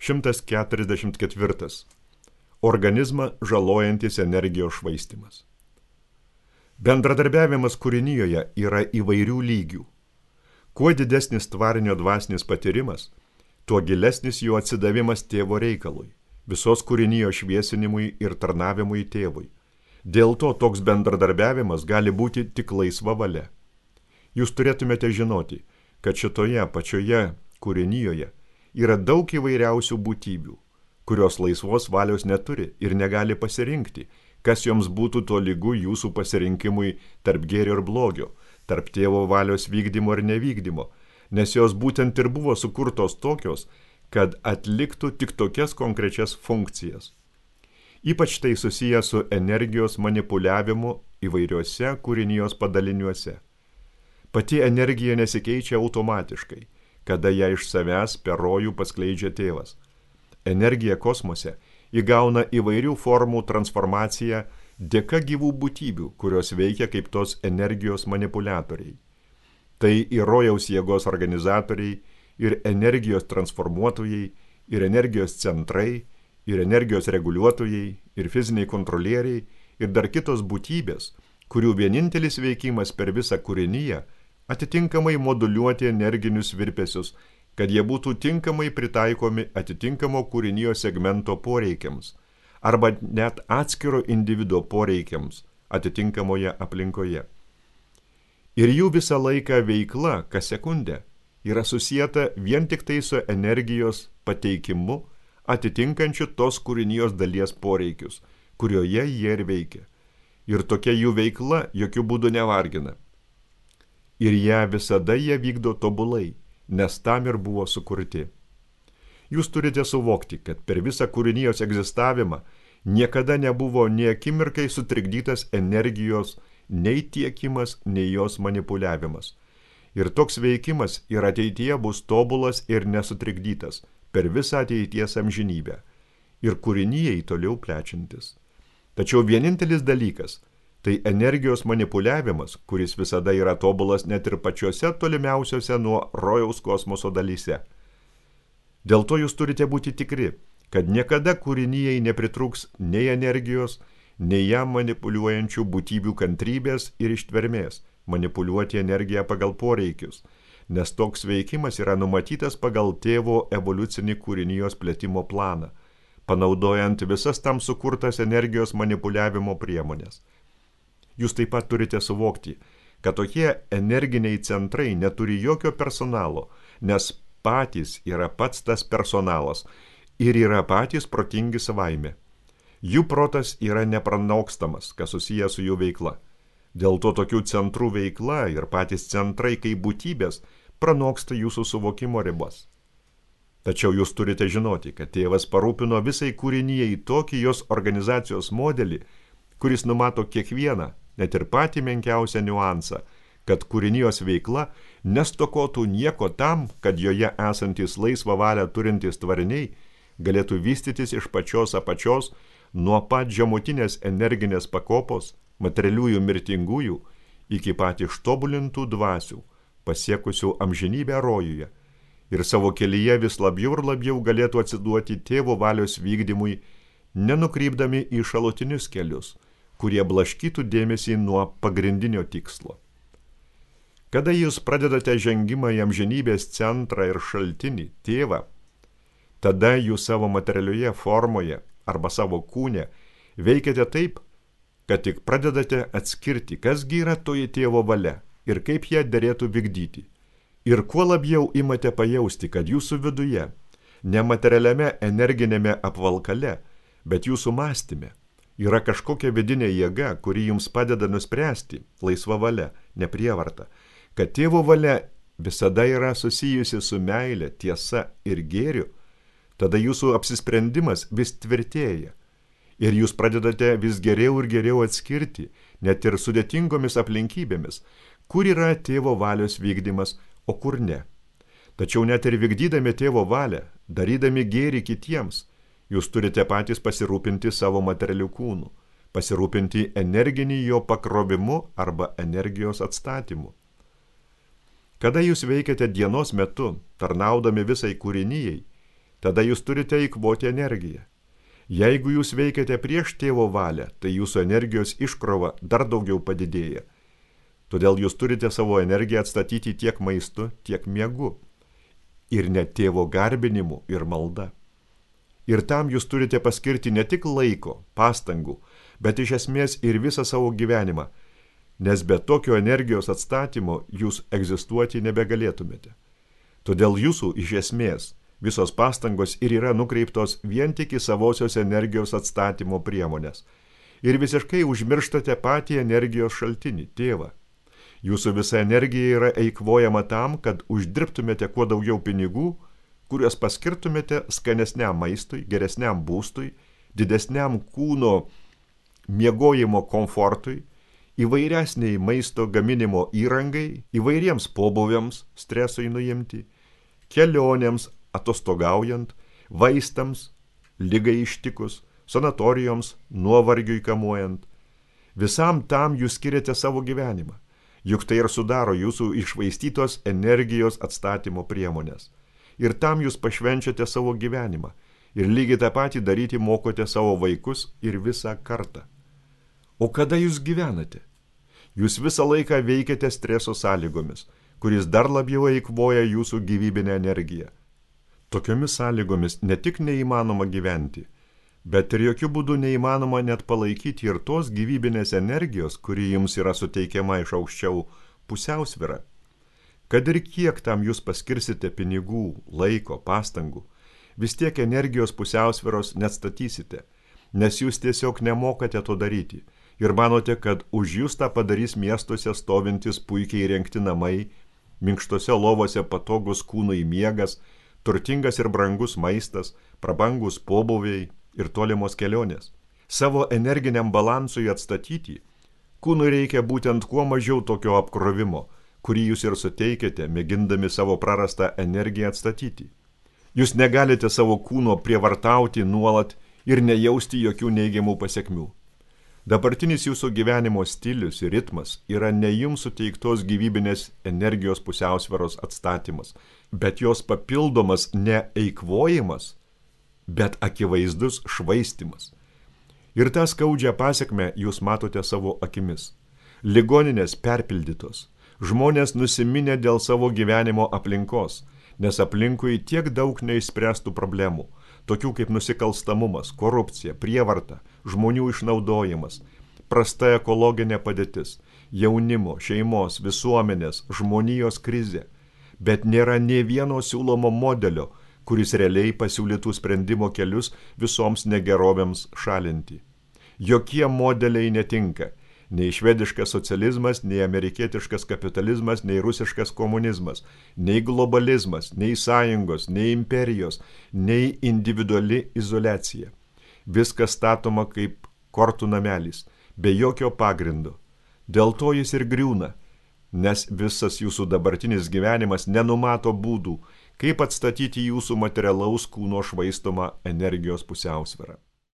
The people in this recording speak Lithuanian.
144. Organizmą žalojantis energijos švaistymas. Bendradarbiavimas kūrinijoje yra įvairių lygių. Kuo didesnis tvarinio dvasinis patyrimas, tuo gilesnis jo atsidavimas tėvo reikalui, visos kūrinijos šviesinimui ir tarnavimui tėvui. Dėl to toks bendradarbiavimas gali būti tik laisva valia. Jūs turėtumėte žinoti, kad šitoje pačioje kūrinijoje yra daug įvairiausių būtybių, kurios laisvos valios neturi ir negali pasirinkti, kas joms būtų tolygu jūsų pasirinkimui tarp gėrio ir blogio, tarp tėvo valios vykdymo ir nevykdymo, nes jos būtent ir buvo sukurtos tokios, kad atliktų tik tokias konkrečias funkcijas. Ypač tai susiję su energijos manipuliavimu įvairiuose kūrinijos padaliniuose. Pati energija nesikeičia automatiškai, kada ją iš savęs per rojų paskleidžia tėvas. Energija kosmose įgauna įvairių formų transformaciją dėka gyvų būtybių, kurios veikia kaip tos energijos manipuliatoriai. Tai ir rojaus jėgos organizatoriai, ir energijos transformuotojai, ir energijos centrai, ir energijos reguliuotojai, ir fiziniai kontrolieriai, ir dar kitos būtybės, kurių vienintelis veikimas per visą kūriniją atitinkamai moduliuoti energinius virpesius, kad jie būtų tinkamai pritaikomi atitinkamo kūrinijos segmento poreikiams arba net atskiro individo poreikiams atitinkamoje aplinkoje. Ir jų visą laiką veikla, kas sekundę, yra susieta vien tik tai su energijos pateikimu atitinkančiu tos kūrinijos dalies poreikius, kurioje jie ir veikia. Ir tokia jų veikla jokių būdų nevargina. Ir ją visada jie vykdo tobulai, nes tam ir buvo sukurti. Jūs turite suvokti, kad per visą kūrinijos egzistavimą niekada nebuvo nei akimirkai sutrikdytas energijos nei tiekimas, nei jos manipuliavimas. Ir toks veikimas ir ateityje bus tobulas ir nesutrikdytas per visą ateities amžinybę ir kūrinijai toliau plečiantis. Tačiau vienintelis dalykas – tai energijos manipuliavimas, kuris visada yra tobulas net ir pačiose tolimiausiose nuo rojaus kosmoso dalyse. Dėl to jūs turite būti tikri, kad niekada kūrinijai nepritrūks nei energijos, nei ją manipuliuojančių būtybių kantrybės ir ištvermės manipuliuoti energiją pagal poreikius, nes toks veikimas yra numatytas pagal tėvo evoliucinį kūrinijos plėtimo planą, panaudojant visas tam sukurtas energijos manipuliavimo priemonės. Jūs taip pat turite suvokti, kad tokie energiniai centrai neturi jokio personalo, nes patys yra pats tas personalas ir yra patys protingi savaime. Jų protas yra nepranokstamas, kas susijęs su jų veikla. Dėl to tokių centrų veikla ir patys centrai kaip būtybės pranoksta jūsų suvokimo ribas. Tačiau jūs turite žinoti, kad tėvas parūpino visai kūrinijai tokį jos organizacijos modelį, kuris numato kiekvieną, net ir patį menkiausią niuansą, kad kūrinijos veikla nestokotų nieko tam, kad joje esantys laisvą valią turintys tvariniai galėtų vystytis iš pačios apačios nuo pat žemutinės energinės pakopos, materialiųjų mirtingųjų, iki pat ištobulintų dvasių, pasiekusių amžinybę rojuje, ir savo kelyje vis labiau ir labiau galėtų atsiduoti tėvo valios vykdymui, nenukrypdami į šalutinius kelius, kurie blaškytų dėmesį nuo pagrindinio tikslo. Kada jūs pradedate žengimą į amžinybės centrą ir šaltinį, tėvą, tada jūs savo materialioje formoje arba savo kūne veikiate taip, kad tik pradedate atskirti, kasgi yra toji tėvo valia ir kaip ją derėtų vykdyti. Ir kuo labiau imate pajausti, kad jūsų viduje, nematerialiame energinėme apvalkale, bet jūsų mąstyme, yra kažkokia vidinė jėga, kuri jums padeda nuspręsti, laisva valia, ne prievarta, kad tėvo valia visada yra susijusi su meile, tiesa ir gėriu, tada jūsų apsisprendimas vis tvirtėja. Ir jūs pradedate vis geriau ir geriau atskirti, net ir sudėtingomis aplinkybėmis, kur yra tėvo valios vykdymas, o kur ne. Tačiau net ir vykdydami tėvo valią, darydami gėrį kitiems, jūs turite patys pasirūpinti savo materialių kūnų, pasirūpinti energinį jo pakrovimu arba energijos atstatymu. Kada jūs veikiate dienos metu, tarnaudami visai kūrinijai, tada jūs turite eikvoti energiją. Jeigu jūs veikiate prieš tėvo valią, tai jūsų energijos iškrova dar daugiau padidėja. Todėl jūs turite savo energiją atstatyti tiek maistu, tiek miegu. Ir net tėvo garbinimu ir malda. Ir tam jūs turite paskirti ne tik laiko, pastangų, bet iš esmės ir visą savo gyvenimą, nes be tokio energijos atstatymo jūs egzistuoti nebegalėtumėte. Todėl jūsų iš esmės visos pastangos ir yra nukreiptos vien tik į savosios energijos atstatymo priemonės. Ir visiškai užmirštate patį energijos šaltinį, tėvą. Jūsų visa energija yra eikvojama tam, kad uždirbtumėte kuo daugiau pinigų, kuriuos paskirtumėte skanesniam maistui, geresniam būstui, didesniam kūno miegojimo komfortui, įvairesniai maisto gaminimo įrangai, įvairiems pobūviams stresui nuimti, kelionėms atostogaujant, vaistams, ligai ištikus, sanatorijoms, nuovargiui kamuojant. Visam tam jūs skiriate savo gyvenimą, juk tai ir sudaro jūsų iššvaistytos energijos atstatymo priemonės. Ir tam jūs pašvenčiate savo gyvenimą ir lygiai tą patį daryti mokote savo vaikus ir visą kartą. O kada jūs gyvenate? Jūs visą laiką veikiate streso sąlygomis, kuris dar labiau eikvoja jūsų gyvybinę energiją. Tokiomis sąlygomis ne tik neįmanoma gyventi, bet ir jokių būdų neįmanoma net palaikyti ir tos gyvybinės energijos, kuri jums yra suteikiama iš aukščiau, pusiausvyrą. Kad ir kiek tam jūs paskirsite pinigų, laiko, pastangų, vis tiek energijos pusiausvyros neatstatysite, nes jūs tiesiog nemokate to daryti ir manote, kad už jūs tą padarys miestuose stovintis puikiai įrengti namai, minkštose lovose patogus kūnui miegas, turtingas ir brangus maistas, prabangus pobūviai ir tolimos kelionės. Savo energiniam balansui atstatyti, kūnui reikia būtent kuo mažiau tokio apkrovimo, kurį jūs ir suteikėte, mėgindami savo prarastą energiją atstatyti. Jūs negalite savo kūno prievartauti nuolat ir nejausti jokių neigiamų pasekmių. Dabartinis jūsų gyvenimo stilius ir ritmas yra ne jums suteiktos gyvybinės energijos pusiausvyros atstatymas, bet jos papildomas ne eikvojimas, bet akivaizdus švaistymas. Ir tą skaudžią pasekmę jūs matote savo akimis. Ligoninės perpildytos. Žmonės nusiminę dėl savo gyvenimo aplinkos, nes aplinkui tiek daug neišspręstų problemų, tokių kaip nusikalstamumas, korupcija, prievarta, žmonių išnaudojimas, prasta ekologinė padėtis, jaunimo, šeimos, visuomenės, žmonijos krizė, bet nėra nė vieno siūlomo modelio, kuris realiai pasiūlytų sprendimo kelius visoms negerovėms šalinti. Jokie modeliai netinka. Nei švediškas socializmas, nei amerikietiškas kapitalizmas, nei rusiškas komunizmas, nei globalizmas, nei sąjungos, nei imperijos, nei individuali izoliacija. Viskas statoma kaip kortų namelis, be jokio pagrindo. Dėl to jis ir griūna, nes visas jūsų dabartinis gyvenimas nenumato būdų, kaip atstatyti jūsų materialaus kūno švaistomą energijos pusiausvyrą.